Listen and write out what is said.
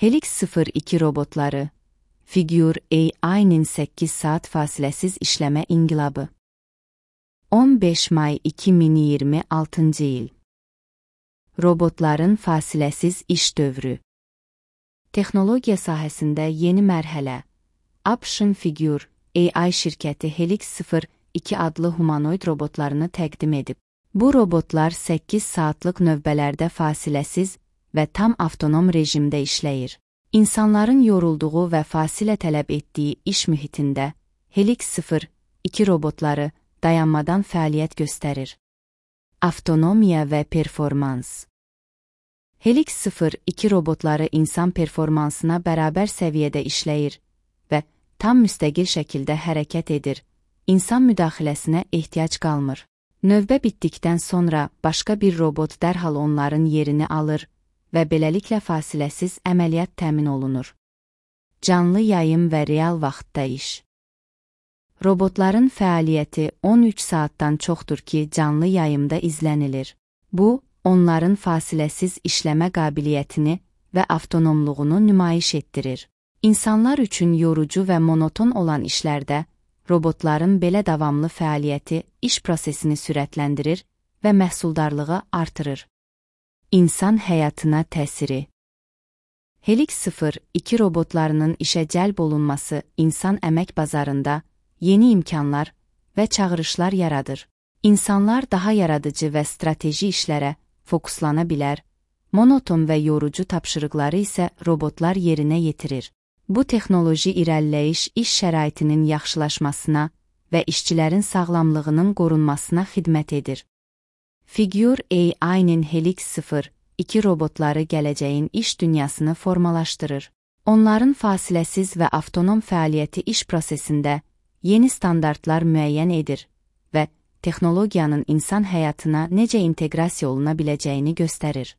Helix 02 robotları, Figure AI'nin 8 saat fasiləsiz işləmə inqilabı. 15 may 2026 il. Robotların fasiləsiz iş dövrü. Texnologiya sahəsində yeni mərhələ. Option Figure AI şirkəti Helix 02 adlı humanoid robotlarını təqdim edib. Bu robotlar 8 saatlıq növbələrdə fasiləsiz və tam avtonom rejimdə işləyir. İnsanların yorulduğu və fasilə tələb etdiyi iş mühitində Helix 02 robotları dayanmadan fəaliyyət göstərir. Avtonomiya və performans. Helix 02 robotları insan performansına bərabər səviyyədə işləyir və tam müstəqil şəkildə hərəkət edir. İnsan müdaxiləsinə ehtiyac qalmır. Növbə bitdikdən sonra başqa bir robot dərhal onların yerini alır və beləliklə fasiləsiz əməliyyat təmin olunur. Canlı yayım və real vaxtda iş. Robotların fəaliyyəti 13 saatdan çoxdur ki, canlı yayımda izlənilir. Bu, onların fasiləsiz işləmə qabiliyyətini və avtonomluğunu nümayiş etdirir. İnsanlar üçün yorucu və monoton olan işlərdə, robotların belə davamlı fəaliyyəti iş prosesini sürətləndirir və məhsuldarlığı artırır. İnsan həyatına təsiri. Helix 02 robotlarının işə cəlb olunması insan əmək bazarında yeni imkanlar və çağırışlar yaradır. İnsanlar daha yaradıcı və strateji işlərə fokuslana bilər, monoton və yorucu tapşırıqları isə robotlar yerinə yetirir. Bu texnoloji irəliləyiş iş şəraitinin yaxşılaşmasına və işçilərin sağlamlığının qorunmasına xidmət edir. Figure AI'nin Helix 02 robotları gələcəyin iş dünyasını formalaşdırır. Onların fasiləsiz və avtonom fəaliyyəti iş prosesində yeni standartlar müəyyən edir və texnologiyanın insan həyatına necə inteqrasiya oluna biləcəyini göstərir.